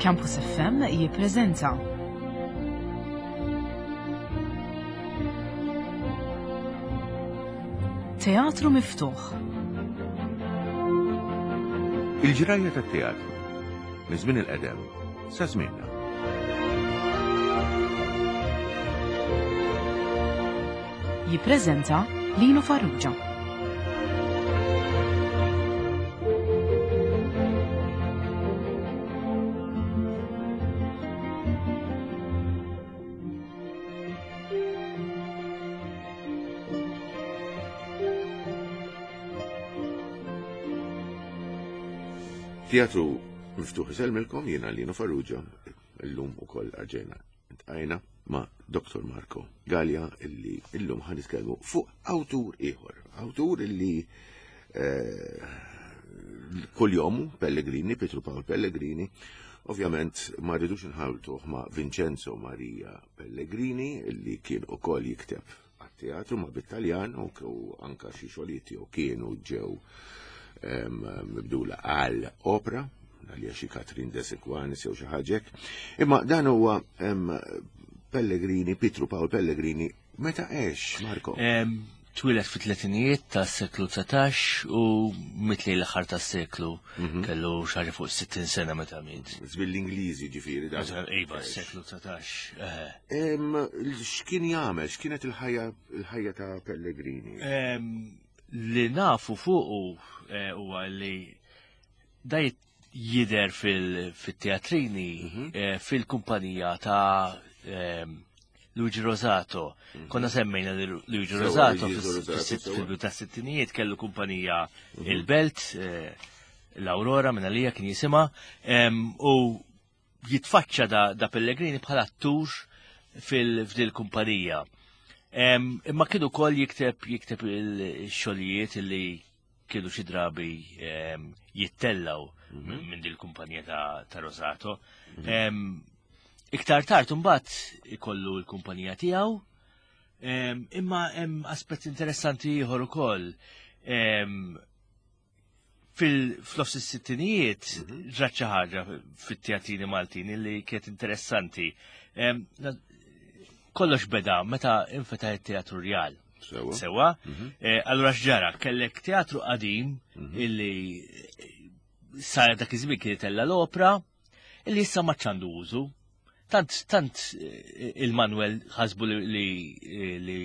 Campus FM jippreżenta Teatru Miftuħ. Il-ġrajja tat-teatru minn żmien il-qedem sa żmienna. Jippreżenta Lino Farrugia. Teatru miftuħ isellmilkom jiena Lino Farrugia illum ukoll arġejna Tqajna ma' Dr. Marco Gallia illi illum ħan nitkellmu fuq awtur ieħor, awtur illi eh, kull-jomu Pellegrini, Pietru Pawl Pellegrini, ovvjament ma rridux nħawtuh ma' Vincenzo Maria Pellegrini illi kien ukoll jikteb għat-teatru ma bit-Taljan u anka xi xogħlijiet tiegħu kienu ġew mibdula għal opra għalija xi Katrin de Sequanis jew xi ħaġek. Imma dan huwa Pellegrini, Pietru Pawl Pellegrini, meta għex, Marko? Twieled fit-tletinijiet tas-seklu 19 u mitli l-aħħar tas-seklu mhm. kellu xi fuq 60 sena meta miet. Żmien l-Ingliżi ġifieri dan. Iva, s-seklu 19. X'kien jagħmel, x'kienet il-ħajja il-ħajja ta' Pellegrini? Li nafu fuqu eh, huwa li da jidher fil-teatrini mhm. eh, fil-kumpanija ta' Luigi Rosato. Mhm. Konna semmejna li Luigi Rosato fil-bidu ta' sittinijiet kellu kumpanija mhm. il-Belt, eh, l-Aurora minn għalija kien jisima, u jitfaċċa da, da Pellegrini bħala attur fil-fdil kumpanija. Imma kienu kol jikteb jikteb il-xogħlijiet li kienu xi drabi jittellaw mhm. minn dil kumpanija ta', ta Rosato. Mhm. Iktar tard imbagħad ikollu l-kumpanija tiegħu, imma hemm aspett interessanti ieħor ukoll. Fil-nofs is-sittinijiet mhm. ġrat xi ħaġa fit-teatrini Maltin li kienet interessanti. Kollox beda meta infetaħ it-Teatru Rjal. Sewa. Sewa. Mhm. Eh, allura x'ġara, kellek teatru qadim mhm. illi sar dak iż-żmien kien itella l-opra, illi issa ma ċandu użu. Tant, tant eh, il-Manuel ħasbu li, li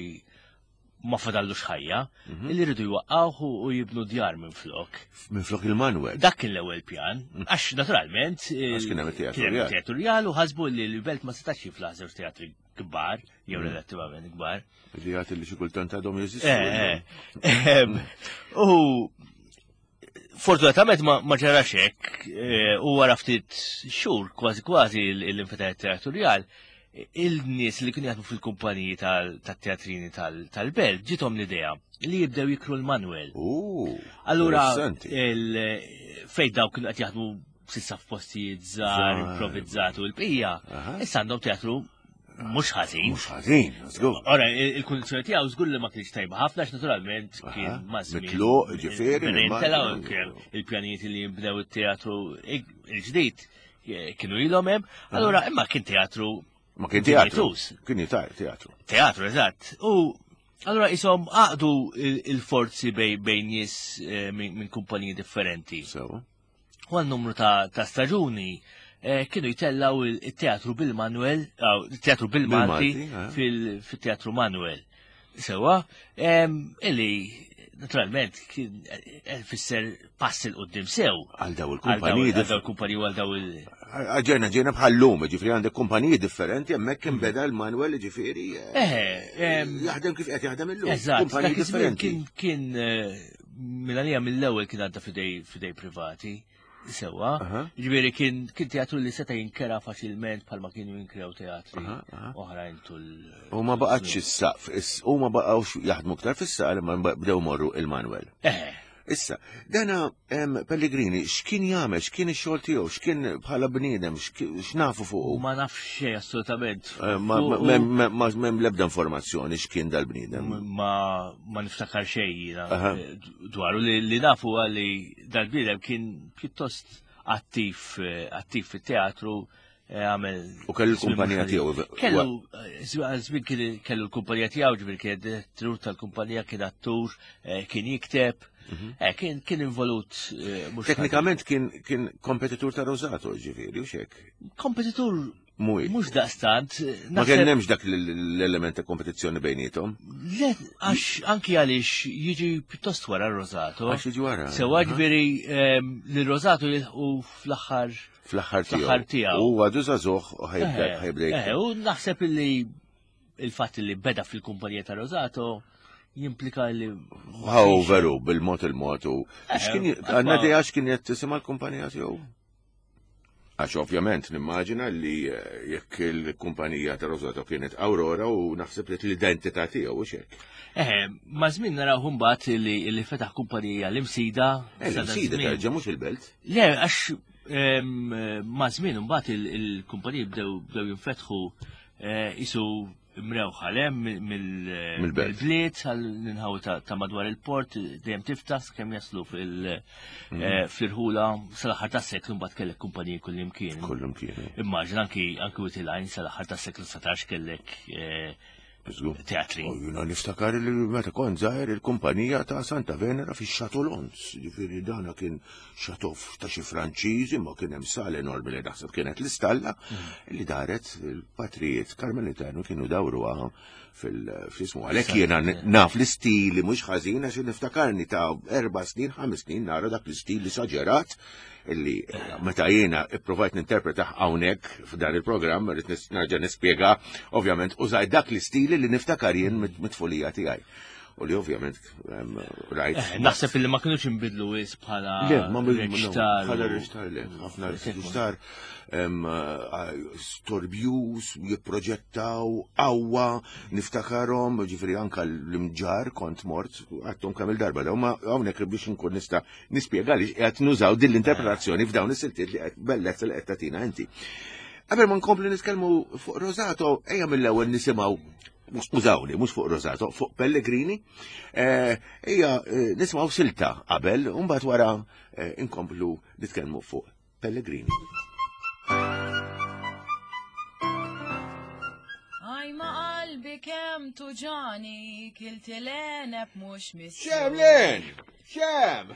ma fadallux ħajja, mhm. illi rridu jwaqqawh u jibnu djar minn flok. Minn flok il-Manuel. Dak kien l-ewwel pjan, mhm. għax naturalment. Għax kien hemm teatru rjal u ħasbu li l-belt ma setax jiflaħ żewġ teatri kbar, jew mm. relattivament kbar. Li għat li xi kultant għadhom jeżistu. Eh, eh. U fortunatament ma ġarax hekk, eh, u wara ftit xhur kważi kważi l-infetaħ teatrjal, il-nies li kienu jaħdmu fil-kumpaniji tal-teatrini tal-belt ġitom l-idea li jibdew jikru l-Manuel. Allura, fejn daw kienu qed jaħdmu sissa f'postijiet żgħar, improvvizzati u l-bqija, issa għandhom teatru mhux ħażin. Mhux ħażin, żgur. Ora, il-kundizzjoni tiegħu żgur li ma kienx tajba ħafna għax naturalment kien mażmin. Mitluq, ġifieri. Il-pjanijiet li jinbdew it-teatru il-ġdid eh, kienu ilhom hemm. Allura imma kien teatru Ma kien teatru. Kien teatru. Teatru, eżatt. U Allora isom għaqdu il-forzi bejn nies eh, minn kumpaniji differenti. So. U għal numru ta', ta staġuni eh, kienu jtellaw il-teatru bil-Manuel, il-teatru bil-Malti eh. fil-teatru Manuel. Sewa, illi naturalment kien eh, fisser pass il qoddim sew. Għal daw il-kumpaniji. Għal daw il-kumpaniji għal daw il- Ġejna ġejna bħal-lum, ġifri għandek kumpaniji differenti, hemmhekk kien beda l-Manuel ġifieri. Jaħdem kif qed jaħdem illum. Eżatt, kumpaniji differenti. Kien minn għalija mill-ewwel kien għadda fidej fidej privati. Sewa, ġifieri kien kien teatru li seta' jinkera faċilment bħalma kienu jinkrew teatri oħrajn tul. U ma baqgħetx is-saqf, u ma baqgħux jaħdmu ktar fis-saqaf imma bdew morru il-Manuel. Issa, dana Pellegrini, x'kien jagħmel, x'kien ix-xogħol tiegħu, x'kien bħala bniedem, x'nafu fuqu? Ma nafx xejn assolutament. Eh, ma m'hemm l-ebda informazzjoni x'kien dal-bniedem. Ma ma niftakar xejn jiena eh, dwaru li nafu li dal-bniedem kien pjuttost attiv eh, attiv fit-teatru eh, għamel. U kellu l-kumpanija tiegħu. Kellu żmien kellu l-kumpanija tiegħu, ġifieri kien direttur tal-kumpanija, kien attur, kien jikteb, mhm. kien kien involut mhux Teknikament kien kien kompetitur ta' Rosato, ġifieri, u xek. Kompetitur Mhuwiex. Mhux daqstant. Ma kien hemmx dak l-element ta' kompetizzjoni bejnietom. Le, għax anki għaliex jiġi pjuttost wara Rosato. Għax jiġi wara. Sewa ġifieri ehm, li Rosato jilħqu fl-aħħar fl-aħħar tiegħu. Fl-aħħar tiegħu. U għadu żagħżugħ u ħajbda eh, ħajbda. Eh, u naħseb li il-fatt li beda fil-kumpanija ta' Rosato jimplika li. Għaw veru, bil-mod il-mod u. Eh, għanna di għax kien qed tisimha l-kumpanija tiegħu? Għax ovvjament nimmaġina li eh, jekk il-kumpanija ta' Rosato kienet Aurora u naħseb li l-identità tiegħu u xek. Eħe, ma' żmien naraw mbagħad li, li fetaħ kumpanija l-imsida. Eh, l-imsida terġa' mhux il-belt. Le, għax ma' żmien mbagħad il-kumpaniji bdew jinfetħu eh, isu mrewħa le mill-bliet għall-inħawi ta' madwar il-port dejjem tiftaħ kemm jaslu mm. eh, fil-irħula sal-aħħar tas-seklu mbagħad kellek kumpaniji kullimkien. Kullimkien. Immaġin anki anki Witilajn sal-aħħar tas-seklu 19 kellek eh, teatri. U jina niftakar li meta kont żgħir il-kumpanija ta' Santa Venera fi Xatolons, ġifieri dana kien xatof ta' xi Franċiżi ma kien hemm sala enormi li naħseb kienet l-istalla mm. li daret il-patrijiet Karmelitanu kienu dawruha fil-ismu. Għalhekk jiena naf l-istili mhux ħażin għax niftakarni ta' erba' snin, ħames snin nara dak l-istil li saġerat illi meta jiena ipprovajt ninterpreta hawnhekk f'dan il-programm rrid nerġa' nispjega ovvjament użajt dak l-istili li niftakar jien mit-tfulija tiegħi. U li ovvjament rajt. Eh, naħseb li ma kienux inbidlu wis bħala Le, ma bidlu bħala reċtar le, ħafna reċtar storbjus, jipproġettaw qawwa, niftakarhom, ġifieri anka l-imġar kont mort, għattom kemm il-darba daw, ma hawnhekk biex nkun nista' nispjega li qed nużaw din l-interpretazzjoni f'dawn is-siltiet li qed bellezza li qed tagħtina inti. Qabel ma nkompli nitkellmu fuq Rosato, ejja mill-ewwel nisimgħu skużawni, mhux fuq Rosato, fuq Pellegrini, eh, ejja eh, nisimgħu silta qabel, u mbagħad wara eh, inkomplu nitkellmu fuq Pellegrini. Aj ma qalbi kemm tuġani, kilti l-għeneb mhux missu. Xem len! Xem!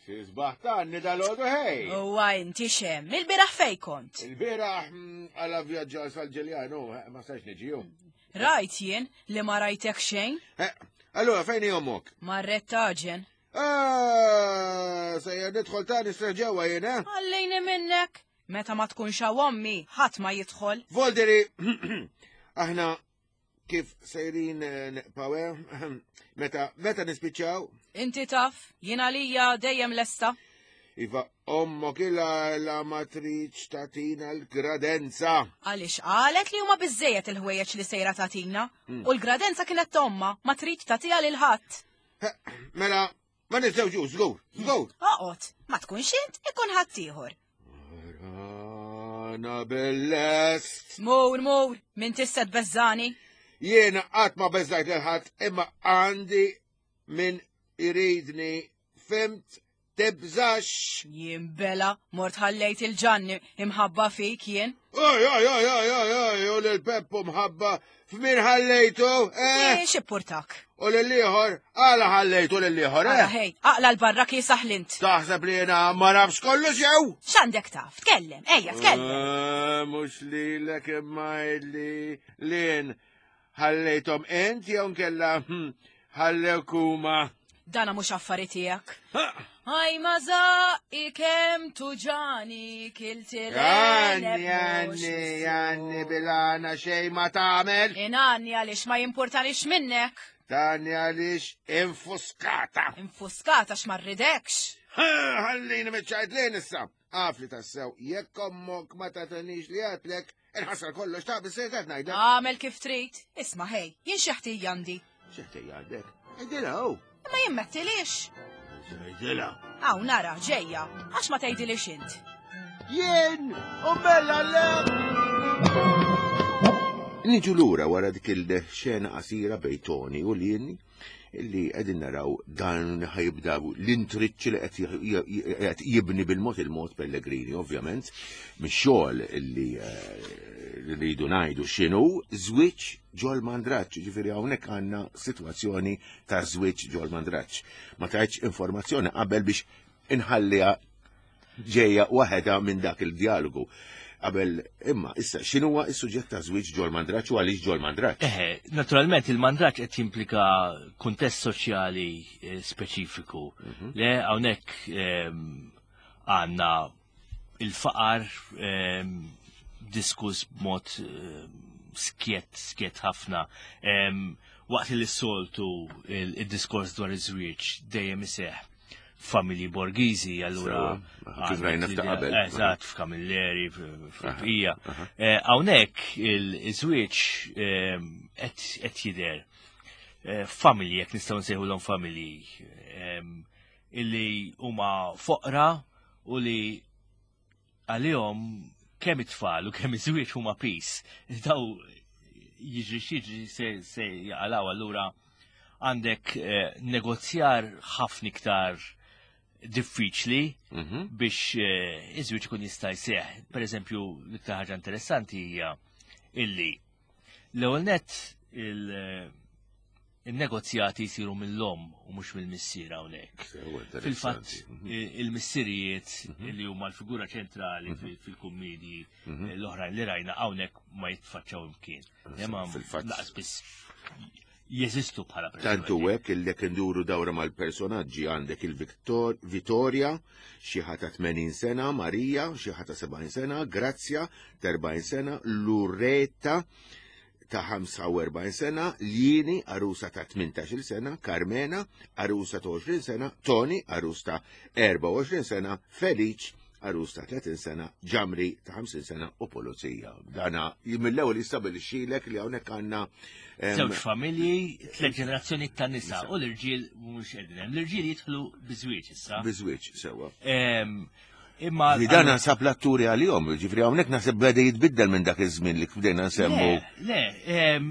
Sisbaħ tanni dal-ħodu ħej! Uwa inti xem, il-biraħ fej kont? Il-biraħ mm, għala vjaġġa sal-ġeljanu, eh, ma sax niġiju. Rajt jien li ma rajtek xejn? Eh, allora fejn hi ommok? Marret taġen. Ah, sejjer nidħol ta' nisra ġewwa jien, eh? Għallejni minnek. Meta ma tkunx hawn ommi, ħadd ma jidħol. Volderi, aħna kif sejrin eh, neqpaw, eh? Meta, meta nispiċċaw? Inti taf, jien għalija dejjem lesta. Iva, ommok ila la matriċ tatina l-gradenza. Għaliex qalet li huma biżejjed il-ħwejjeġ li sejra tatina hmm. u l-gradenza kienet tomma ma trid tagħtiha lil ħadd. Mela, ma niżżewġu, żgur, żgur. Oqgħod, ma tkunx int, ikun ħaddieħor. Rana bil-lest. Mur, mur, min tista' tbeżżani. Jiena qatt ma beżżajt lil ħadd imma għandi min iridni fimt Tibżax! Jien bela, mort ħallejt il-ġanni imħabba fik jien. Oj, oj, oj, oj, oj, oj, u lil-Peppu mħabba f'min ħallejtu, eh? X'ippurtak? U lil-ieħor, għala ħallejtu lil-ieħor, eh? Ħej, aqla l-barra kiesaħ lint. Taħseb li jiena ma nafx kollox jew? X'għandek taf? Tkellem, ejja, tkellem. Eh, mhux lilek imma li lien Ħallejthom int jew nkella hm, ħallewk huma? Dana mhux affari tiegħek. Aj ma zaqqi kemm tuġani kilti Għanni, għanni, għanni bilana xej ma tagħmel. Inanni għaliex ma jimpurtanix minnek. Tani għaliex infuskata. Infuskata x'ma rridekx. Ħallini miċċajt lejn issa. Af li tassew, jekk ommok ma tatenix li għatlek, inħassar kollox ta' bizzejt qed ngħidlek. Għamel kif trid. Isma' ħej, jien xi ħtija għandi. Xi ħtija għandek? Għidilha hu. Imma jien mettilix. Għidilha. Hawn nara, ġejja, għax ma tgħidilix int. Jien u bella le. Niġu lura wara dik il-xena qasira bejn Tony u Lien. Illi qegħdin naraw dan ħajibda l-intriċċi li qed jibni bil-mod il-mod Pellegrini, ovvjament, mix-xogħol illi eh, rridu ngħidu x'inhu żwieġ ġol mandraġġ, ġifieri hawnhekk għandna sitwazzjoni ta' żwieġ ġol mandraġġ. Ma tajtx informazzjoni qabel biex inħalliha ġejja waħedha minn dak il-dialogu. Qabel imma issa x'inhuwa s-suġġett ta' żwieġ ġol mandraġġ u għaliex ġol mandraġġ? Eħe, naturalment il-mandraġġ qed jimplika kuntest soċjali eh, speċifiku. Mhm. Le hawnhekk ehm, għandna il-faqar ehm, diskuss b'mod ehm, skjet, skjet ħafna. Waqt li s-soltu il-diskors dwar iż-żwieġ dejjem iseħħ familji borgiżi, allura. Kif rajna f'ta' qabel. Eżatt, f'Kamilleri, f'Bqija. Eh, hawnhekk il-żwieġ eh, qed jidher eh, familji, jekk nistgħu nsejħulhom familji, illi huma foqra u li għalihom kemm it-tfal u kemm iż-żwieġ huma pis. Daw jiġri xiġri se, se jaqalaw allura għandek eh, negozjar ħafna iktar diffiċli mm -hmm. biex eh, iż-żwieġ ikun jista' jseħħ. Per eżempju, l-iktar ħaġa interessanti hija illi L-ewwel nett il-negozjati jsiru mill-omm u mhux mill-missier hawnhekk. Fil-fatt mhm. il-missirijiet mhm. li huma l-figura ċentrali mhm. fil-kummedji l-oħrajn li rajna hawnhekk ma jitfaċċaw imkien. Fil-fatt laqas biss jeżistu bħala personaġġi. Tantu hekk illek induru dawra mal-personaġġi għandek il-Victor Vittoria, xi ta' 80 sena, Marija, xi ta' 70 sena, Grazzja ta' 40 sena, Lureta ta' 45 sena, Lieni, arusa ta' 18 sena, Carmena, arusa ta' 20 sena, Tony, arus ta' 24 sena, Feliċ, arus ta' 30 sena, ġamri ta' 50 sena u pulizija. Dana mill-ewwel jistabilixxilek li hawnhekk għandna żewġ familji, tliet ġenerazzjoni ta' nisa u l-irġiel mhux qegħdin hemm. L-irġiel jidħlu biżwieġ issa. Biżwieġ sewwa. Imma li dan naħseb l-atturi għalihom, ġifri hawnhekk naħseb beda jitbiddel minn dak iż-żmien li bdejna nsemmu. Le,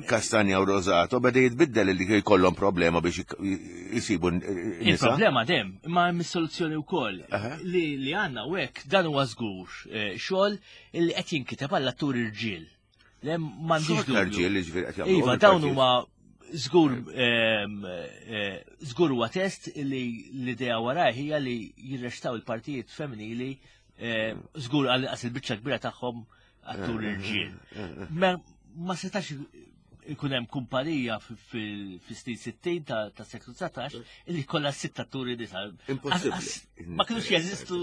Kastanja u Rosato beda jitbiddel li jkollhom problema biex jisibu Il-problema dem, imma hemm is-soluzzjoni wkoll li li għandna u hekk dan huwa żgur eh, xogħol li qed jinkiteb għall atturi rġiel. Le m'għandix dubju. Rġiel li ġifieri qed jagħmlu. Iva, dawn huma żgur ehm, eh, żgur huwa test li l-idea waraj hija li jirrextaw il-partijiet femminili eh, żgur għal il-biċċa kbira tagħhom attur irġiel. Ma setax ikun hemm kumpanija fis-snin 60 ta' seklu 19 illi kollha sitt atturi nisa. Impossibbli. Ma kienux jeżistu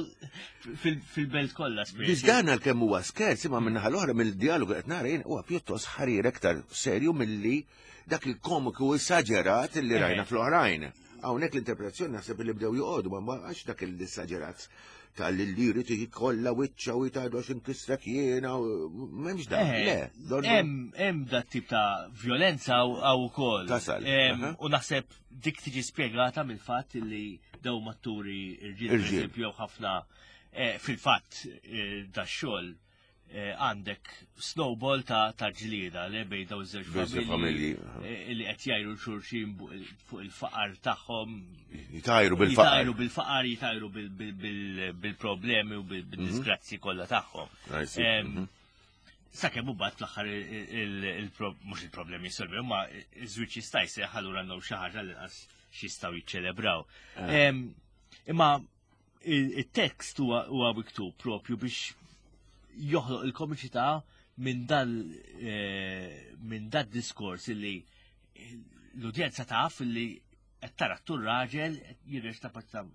fil-belt kollha. Biex dan għalkemm huwa skerz imma minnaħa l-oħra mill-dialogu qed nara jien huwa pjuttost ħarir aktar serju milli dak il-komiku esaġerat li rajna fl-oħrajn. Hawnhekk l-interpretazzjoni naħseb li bdew joqogħdu ma għax dak il-esaġerat tal-li jrid jkollha wiċċa u jtajdu għax inkissrek jiena m'hemmx dan. Eh, le, hemm dat tip ta' violenza għaw ukoll. Tasal. U naħseb dik tiġi spjegata mill-fatt li daw matturi irġiel, per ħafna eh, fil-fatt eh, da xogħol Eh, għandek snowball ta' ta' ġlieda li bej daw iż-żewġ familji eh, li qed jgħiru xulxin fuq il-faqar tagħhom. Jitajru bil-faqar. Jitajru bil-faqar, jitajru bil-problemi u bil-disgrazzi kollha tagħhom. Mhm. Sakemm u bat fl-aħħar mhux il-problemi jissolvi, imma iż-żwieġ jista' jseħħ allura għandhom xi ħaġa li qas x'jistgħu jiċċelebraw. Eh. Imma il-tekst huwa miktub propju biex joħloq il-komiċità minn dal eh, minn dal diskors illi l-udjenza taf illi qed tara tur raġel jirrex ta'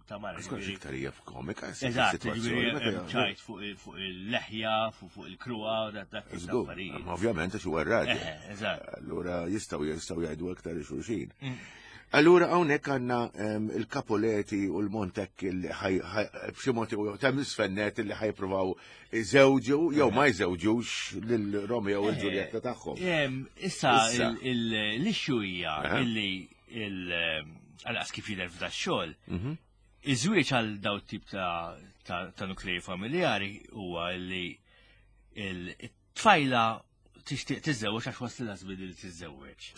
ta' mara. Skont iktar hija f'komika. Eżatt, ċajt fuq il-leħja, fuq il-kruha, dak affarijiet. Ovvjament għax huwa raġel. Eh, eżatt. Allura jistgħu jistgħu jgħidu aktar xulxin. Mm. Allura hawnhekk għandna ehm, il-Capoleti u l-Montek li b'xi mod ta' misfennet li ħajpruvaw iżewġu jew ma jżewġux lil Romeo u l-Ġuljetta tagħhom. Ehm, issa l-issue hija illi għal kif jidher f'da xogħol mhm. iż-żwieġ għal daw tip ta' nuklei familjari huwa li il-tfajla tixtieq tiżżewweġ għax waslilha żmien li tiżżewweġ.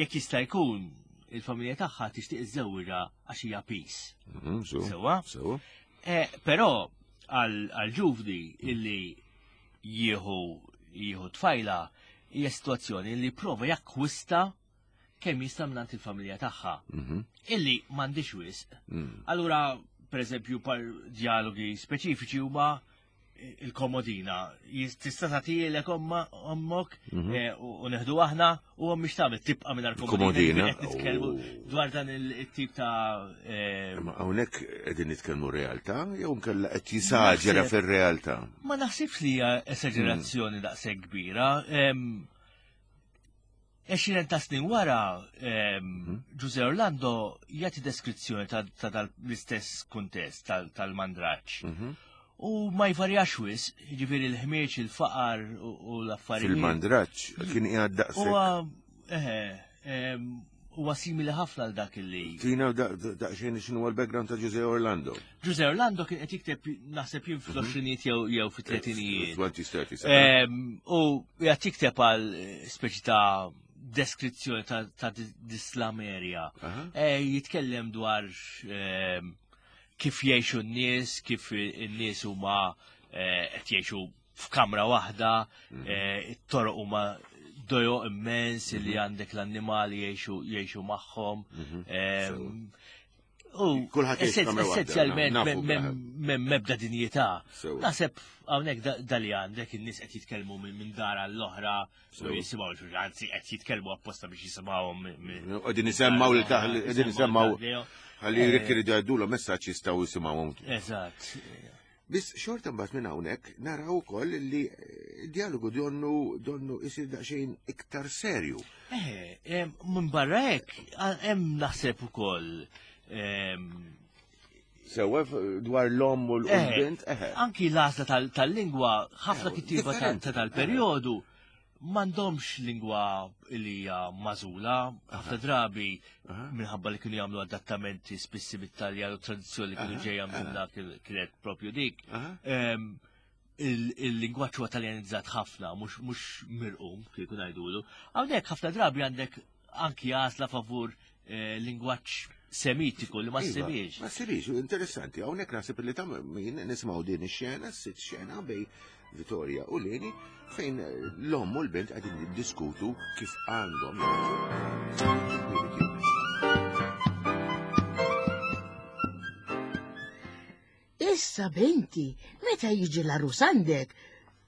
Jekk jista' jkun il-familja tagħha tixtieq iżżewwiġha għax hija peace. Mhm, Sewwa? Sewwa. Eh, però għal ġuvni illi jieħu jieħu tfajla hija sitwazzjoni li prova jakkwista kemm jista' mingħand il-familja tagħha. Mhm. Illi m'għandix wisq. Mm. Allura, per eżempju, par dialogi speċifiċi huma il-komodina. Tista' tagħtielek omma ommok eh, u neħdu aħna u hemm mhix tagħmel tibqa' mingħajr Komodina. Qed nitkellmu Oh. dwar dan il-tip ta' eh, Ma hawnhekk qegħdin nitkellmu realtà jew nkella qed jisaġera Naħseb- fir-realtà. Ma naħsibx li hija esagerazzjoni daqshekk kbira. Em, 20 ta' snin wara, Giuseppe Orlando jagħti deskrizzjoni ta' ta' dal-istess kuntest tal-mandraġġ. Mhm. U ma jvarjax wisq, jiġifieri l-ħmieġ, il-faqar u l-affarijiet. Fil-mandraġġ kien qiegħed daqshekk. Huwa eħe, huwa simili ħafna għal dak li. Tina daqsxejn x'inhu l-background ta' Giuseppe Orlando. Giuseppe Orlando kien qed jikteb naħseb jien fl-20 jew jew fit-tletinijiet. 20s, 30s. U jgħat jikteb għal speċi ta' deskrizzjoni ta' dislamerja. Aha. Jitkellem dwar kif jgħixu n-nies, kif n-nies huma qed jgħixu f'kamra waħda, it-toroq huma dojo immens li għandek l-annimali jgħixu jgħixu magħhom. U Kulħadd jgħix f'kamra waħda, essenzjalment nafu kulħadd. mem mebda dinjità. Sewwa. Naħseb hawnhekk dali għandek in-nies qed jitkellmu minn dar għall-oħra u Sewwa. jisimgħu xulxin, anzi qed jitkellmu apposta biex jisimgħuhom Qegħdin isemmaw li taħ qegħdin isemmaw ħalli jekk iridu jgħiddulhom messaġġ jistgħu jisimgħuhom. Eżatt. Biss xorta mbagħad minn hawnhekk naraw ukoll li dialogu donnu donnu isir daqsxejn iktar serju. Minn barra hekk hemm naħseb ukoll Sewwa dwar l-omm u l-bint, eħe. Anki l-għażla tal-lingwa, ħafna kittieba Differenti. ta' tal-perjodu m'għandhomx lingwa li hija magħżula, ħafna drabi minħabba li kienu jagħmlu adattamenti spissi bit-Taljan u tradizzjoni li kienu ġejja minn dak kienet propju dik. Aha. Il-lingwaġġ huwa taljanizzat ħafna, mhux mirqum kieku ngħidulu. Hawnhekk ħafna drabi għandek anki għażla favur lingwaġġ semitiku li ma Iva, ssibiex. Ma ssibiex, interessanti. Hawnhekk naħseb li ta' min nisimgħu din ix-xena, sitt xena bej Vittoria u Leni, fejn l-omm u l-bint qegħdin jiddiskutu kif għandhom jagħmlu. Issa binti, meta jiġi l-arus għandek,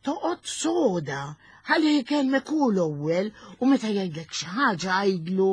toqgħod soda, ħalli jkellmek hu l-ewwel u meta jgħidlek xi ħaġa għidlu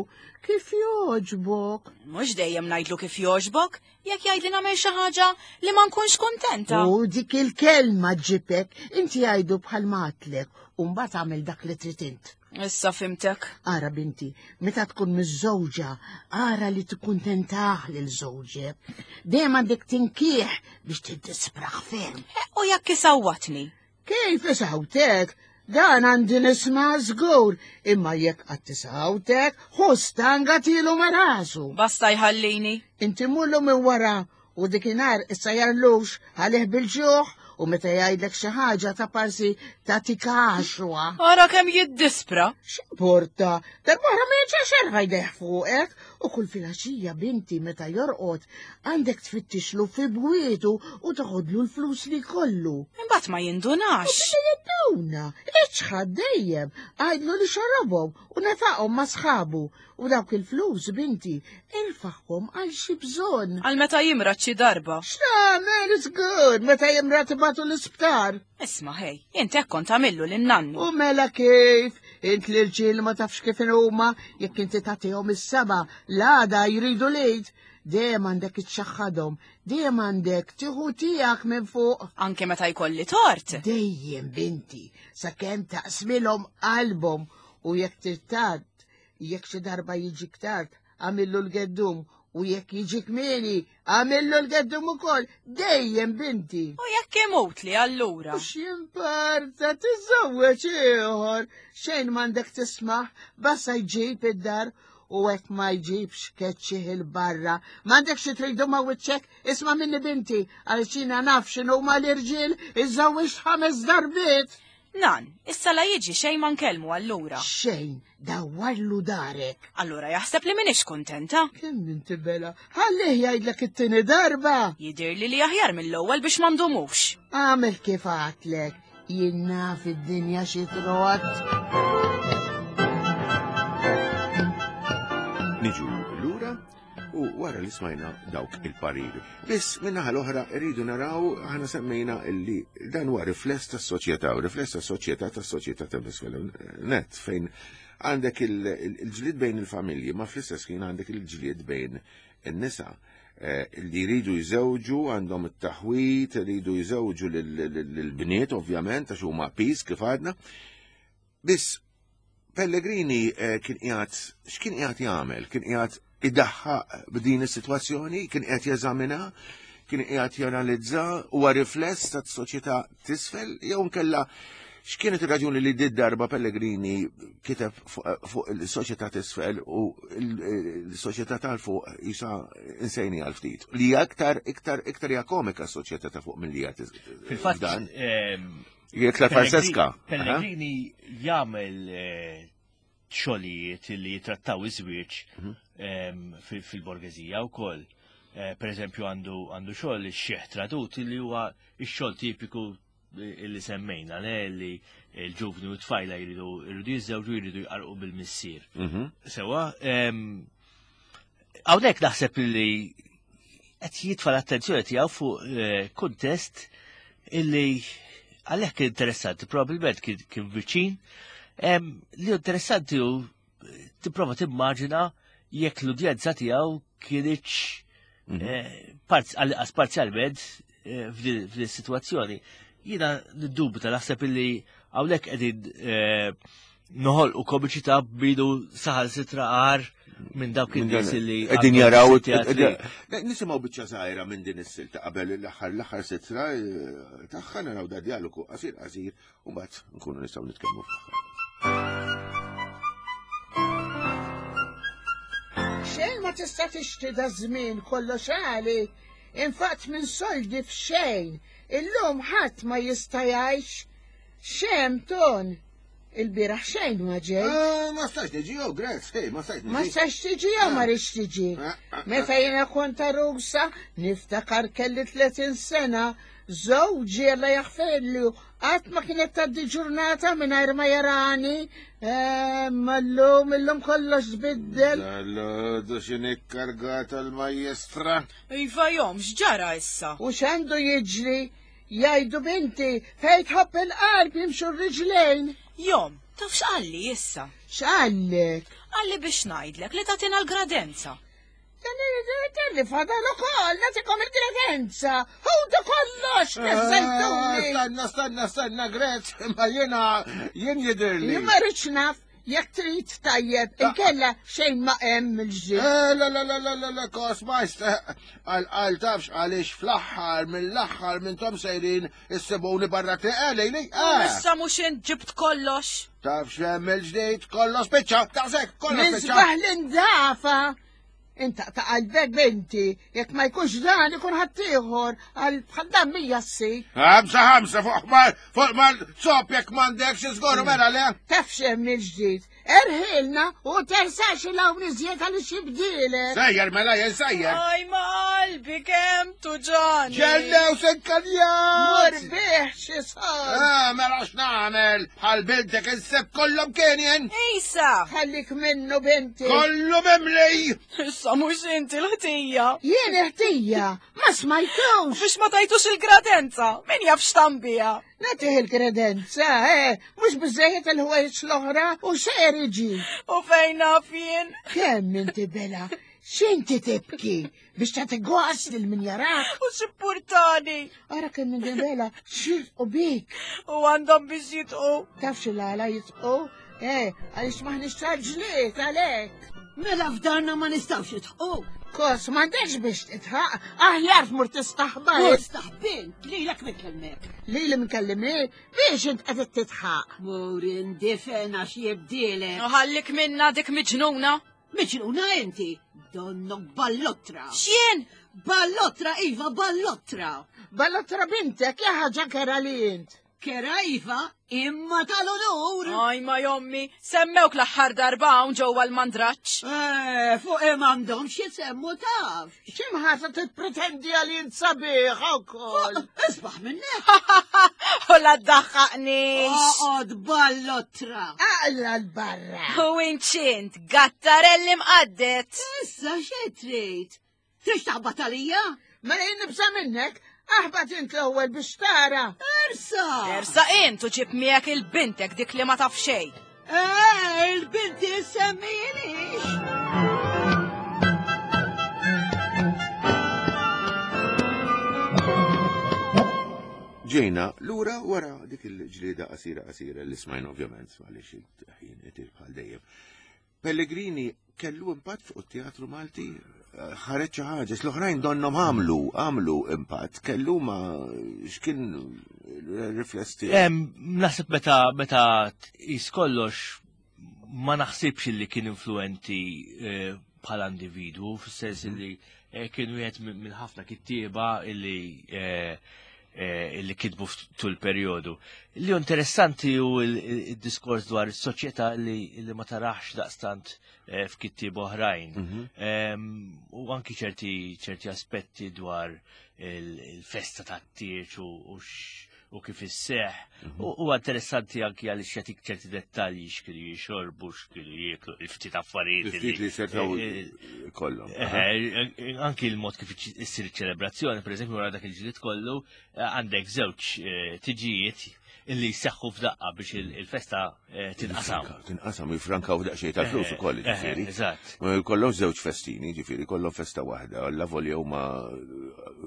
kif jogħġbok. Mhux dejjem ngħidlu kif jogħġbok, jekk jgħidli nagħmel xi ħaġa li ma nkunx kuntenta. U dik il-kelma ġibek, inti għajdu bħal matlek u mbagħad għamel dak li trid int. Issa fimtek. Ara binti, meta tkun miż-żewġa, ara li tikkuntentah lil żewġek. Dejjem għandek tinkieħ biex tiddispraħ ferm. U jekk isawwatni. Kif isawtek? Dan għandi nisma' żgur, imma jekk qatt tisawtek, hu stanga tilu ma' rasu. Basta jħallini. Inti mullu minn wara u dikinhar issa jarlux għalih bil-ġuħ u meta jgħidlek xi ħaġa ta' parsi tagħtik għaxwa. Ara kemm jiddispra. X'importa, darb'oħra ma jerġax jerfa' jdejh fuqek u kull filgħaxija binti meta jorqod għandek tfittixlu fi bwietu u toħodlu l-flus li kollu. Imbagħad ma jindunax. U jinduna, iċħad dejjem, għajdlu li xorobhom u nefaqhom ma' sħabu u dawk il-flus binti irfaħhom għal xi bżonn. Għal meta jimrad xi darba. X'tagħmel it's good meta jimrad tibgħatu l-isptar. Isma' ħej, int hekk kont tagħmillu lin-nannu. U mela kif, int l-irġiel ma tafx kif huma, jekk inti tagħtihom is-seba, l-għada jridu lejt. Dejjem għandek iċċaħħadhom, dejjem għandek tieħu tiegħek minn fuq. Anke meta jkolli tort. Dejjem binti, sakemm taqsmilhom qalbhom u jekk tirtad, jekk xi darba jiġik tard, għamillu l-geddum u jekk jiġik mieni, għamillu l-geddum ukoll, dejjem binti. U jekk imut li allura. U x'imparta tiżewweġ ieħor, xejn m'għandek tismaħ, basta jġib id-dar u hekk ma jġibx keċċih il-barra. M'għandek xi tridu ma wiċċek, isma' minni binti, għal xina naf x'inhu ma l-irġiel iżżewweġ ħames darbiet. Nan, issa la jiġi xejn ma nkellmu allura. Xejn, dawwarlu darek. Allura jaħseb li minix kuntenta. Kemm inti bela, ħallih jgħidlek it-tieni darba. Jidirli li aħjar mill-ewwel biex ma ndumux. Għamel kif għatlek, jien naf id-dinja xi trot. Niġu lura u wara li smajna dawk il-pariri. Biss minnaħa l-oħra rridu naraw aħna semmejna illi dan huwa rifless tas-soċjetà u rifless tas-soċjetà tas-soċjetà ta' net fejn għandek il-ġlied bejn il-familji ma fl-istess ħin għandek il-ġlied bejn in-nisa eh, li jridu jżewġu għandhom it-taħwit, jridu jżewġu lill-bniet ovvjament għax huma pis kif għadna. Biss Pellegrini eh, kien qiegħed x'kien qiegħed jagħmel? Kien qiegħed idaħħaq b'din is-sitwazzjoni, kien qiegħed jeżamina, kien qiegħed janalizza huwa rifless tas-soċjetà tisfel jew nkella x'kienet ir-raġuni li did darba Pellegrini kiteb fuq il-soċjetà tisfel u l-soċjetà tal-fuq jisa insejni għal ftit. Li hija iktar iktar iktar hija komika s-soċjetà ta' fuq milli hija Fil-fatt Jekk la Francesca. Pellegrini jagħmel eh, xogħlijiet li jitrattaw iż-żwieġ mhm. ehm, fil-borgeżija wkoll. Eh, per eżempju għandu għandu xogħol ix-xieħ tradut li huwa x-xogħol tipiku eh, li semmejna le li l-ġuvni u tfajla jridu jridu jiżżewġu jridu jqarqu bil-missier. Mhm. Sewa, ehm, hawnhekk naħseb li qed jitfa' l-attenzjoni tiegħu fuq eh, kuntest illi għalhekk interessanti, probabbilment kien viċin, li interessanti hu eh, tipprova timmaġina jekk l-udjenza tiegħu kienx mhm. eh, għal parzjalment f'din is-sitwazzjoni. Jiena niddubita naħseb illi hawnhekk qegħdin noħolqu komiċità bidu saħal sitra għar minn dawk in-nies li qegħdin jaraw nisimgħu biċċa żgħira minn din is-silta qabel l-aħħar l-aħħar sitra eh, tagħha naraw da dialogu qasir qasir u mbagħad nkunu nistgħu nitkellmu fl-aħħar. Xejn ma tista' tixtri da żmien kollox għali, infatt minn soldi f'xejn, illum ħadd ma jista' jgħix. Xem ton, Il-bieraħ xejn ma ġej. Eh, ma stax tiġi, oh, Grez, hey, ma stax tiġi. Ma stax tiġi jew ma rridx tiġi. Eh, eh, Meta jiena kont arusa, niftakar kelli 30 sena, żewġi alla jaħferlu, qatt ma kienet tgħaddi ġurnata mingħajr ma jarani. Ma llum illum kollox tbiddel. Dal-għodu x'inhi kargata l-majjestra. Iva jom, x'ġara issa? U x'għandu jiġri? Jgħidu binti, fejn tħobb il-qalb jimxu r-riġlejn. Jom, taf x'qalli issa? X'qallek? Qalli biex ngħidlek li tagħtina l-gradenza. Li fadal ukoll nagħtikom il-gradenza. Ħudu kollox, neżżejtuni. Eh, stanna, stanna, stanna, Grez, ma jiena jien jidhirli. Jien ma rridx naf. Jekk trid tajjeb, inkella xejn ma hemm il-ġdid. Eh, la la la la la la kos majst, eh, għal għal tafx għaliex fl-aħħar mill-aħħar minn tom sejrin issibuni barra triq lejli. Eh. Issa mhux int ġibt kollox. Tafx hemm il-ġdid kollox spiċċa, taqsek kollox spiċċa. Nisbaħ l-indafa. Inta ta' qalbek binti, jekk ma jkunx dan ikun ħaddieħor għal bħal dan mija ssi. Ħamsa ħamsa fuq ħmar, fuq mal sop jekk m'għandekx iżguru mela le. Taf x'hemm il-ġdid. Erħilna u tersax il hawn iżjed għaliex jibdielek. Sejjer mela jien sejjer. Aj ma qalbi kemm tuġani. Ġellew senkaljan! Mur bih xi sar. Ah, mela x'nagħmel? Bħal bintek inseb kollhom kien jien. Isa! Ħallik minnu binti. Kollu mimli! Issa mhux inti l-ħtija. Jien ħtija, ma smajtux. Biex ma tajtux il-gradenza, min jaf x'tambija. Nagħtih il-kredenza, eh, mhux biżejjed il-ħwejjeġ l-oħra u xejn iġi. U fejn naf jien? Kemm inti bela, x'inti tibki? Biex tagħti gost lil min jarak. U x'ippurtani. Ara kemm minn bela xirqu bik. U għandhom biex jitqu. Taf xi l-għala jitqu? Eh, għaliex maħniex tal-ġlied għalhekk. Mela f'darna ma nistgħux nitħqu. Kos, m'għandekx biex titħaq, aħjar tmur tistaħba. Mur staħbin, lilek minn kelmek. Lili minn kellimni, biex int qed titħaq. Mur indifen għax jibdielek. Ħallik minna dik miġnuna. Miġnuna inti, donnok ballottra. X'jien? Ballottra, Iva, ballottra. Ballottra bintek, ja ħaġa kera li int. Kera iva, imma tal-unur. Aj ma jommi, semmewk l-aħħar darba hawn ġewwa l-mandraġġ. Eh, fuq m'għandhomx jisemmu taf. X'imħasa tippretendi għal int sabiħ ukoll. Isbaħ minnek. U la ddaħħaqnix. Oqgħod ballottra. Aqla l-barra. U inċint, gattarelli mqaddet. Issa xi trid? Trid taħbat għalija? Mela jien nibsa minnek, aħbat int l-ewwel biex tara. Ersa! Ersa int u ġib miegħek il-bintek dik li ma taf xejn. Eh, il-binti semmilix. Ġejna lura wara dik il-ġlieda qasira qasira li smajna ovvjament għaliex il-ħin itir bħal dejjem. Pellegrini kellu impatt fuq it-teatru Malti? Ħareġ xi ħaġa, l-oħrajn donnhom għamlu, għamlu impatt, kellu ma x'kien rifless tiegħu. Naħseb meta meta tqis kollox ma naħsibx li kien influenti eh, bħala individwu, fis-sens mhm. li eh, kien wieħed minn ħafna kittieba illi eh, eh, illi kitbu tul periodu. Li interessanti u il-diskors dwar is-soċjetà li, li ma tarax daqstant eh, f'kittieb oħrajn. Mhm. Ehm, u anki ċerti ċerti aspetti dwar il-festa tat-tieġ u u kif isseħ. Mhm. U interessanti anki għaliex jagħtik ċerti dettalji x'kienu jixorbu, x'kienu jieklu, il-ftit affarijiet. Il-ftit li setgħu eh, eh, kollhom. Eh, anki l-mod kif issir iċ-ċelebrazzjoni, pereżempju wara dak il-ġlied kollu, għandek żewġ tiġijiet illi jseħħu f'daqqa biex il-festa tinqasam. Tinqasam, jifrankaw daqsxejn tal-flus ukoll, ġifieri. Eżatt. Kollhom żewġ festini, ġifieri, kollhom festa waħda, alla volja huma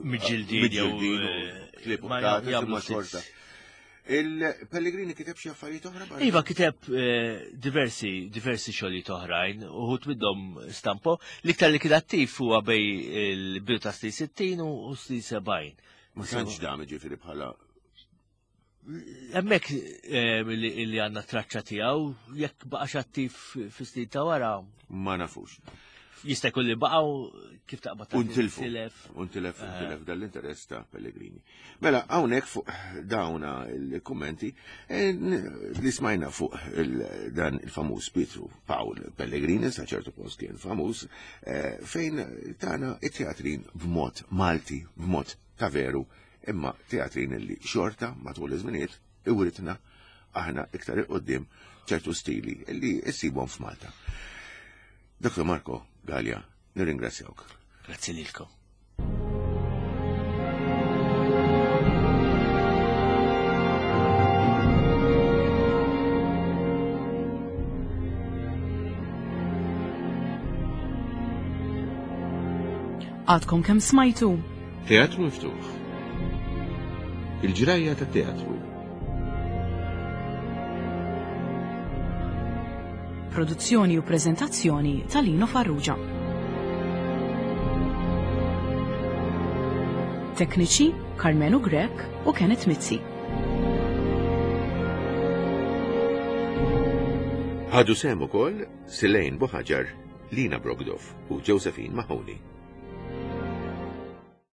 miġġildin miġġildin klieb u ma xorta. Il-Pellegrini kiteb xi affarijiet oħra? Iva kiteb diversi diversi xogħlijiet oħrajn, uħud minnhom stampo. L-iktar li kien attiv huwa bej il-bidu ta' snin 60 u snin 70. Ma tantx dam ġifieri bħala Hemmhekk eh, li għandna traċċa tiegħu jekk baqax attiv fis-snin ta' wara. Ma nafux. Jista' jkun li baqgħu kif taqbad Untilfu. Untilef, eh. untilef dal-interess ta' Pellegrini. Mela, hawnhekk fuq dawna il-kummenti eh, li smajna fuq dan il-famuż Pietru Pawl Pellegrini, sa ċertu post kien famuż, fejn tana it-teatrin b'mod Malti, b'mod ta' veru imma teatrin li xorta matul iż-żminijiet iwritna aħna iktar il-qoddim ċertu stili li issibhom f'Malta. Dr. Marco Gallia, nirringrazzjawk. Grazzi lilkom. Għadkom kemm smajtu? Teatru Miftuħ. Il-ġrajja tat-teatru. Produzzjoni u preżentazzjoni ta' Lino Farrugia. Tekniċi Carmenu Grech u Kenneth Mizzi. Ħadu sehem ukoll Silejn Buħaġar, Lina Brogdov u Josephine Mahoney.